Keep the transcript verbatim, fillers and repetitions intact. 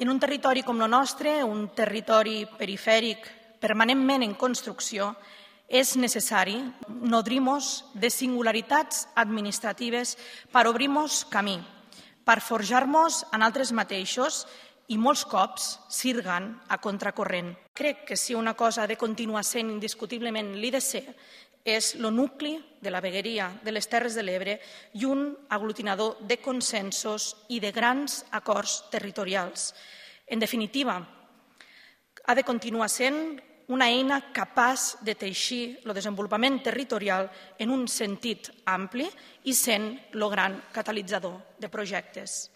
En un territori com el nostre, un territori perifèric permanentment en construcció, és necessari nodrir-nos de singularitats administratives per obrir-nos camí, per forjar-nos en altres mateixos i molts cops sirgant a contracorrent. Crec que si una cosa ha de continuar sent indiscutiblement l'I D C és el nucli de la vegueria de les Terres de l'Ebre i un aglutinador de consensos i de grans acords territorials. En definitiva, ha de continuar sent una eina capaç de teixir el desenvolupament territorial en un sentit ampli i sent el gran catalitzador de projectes.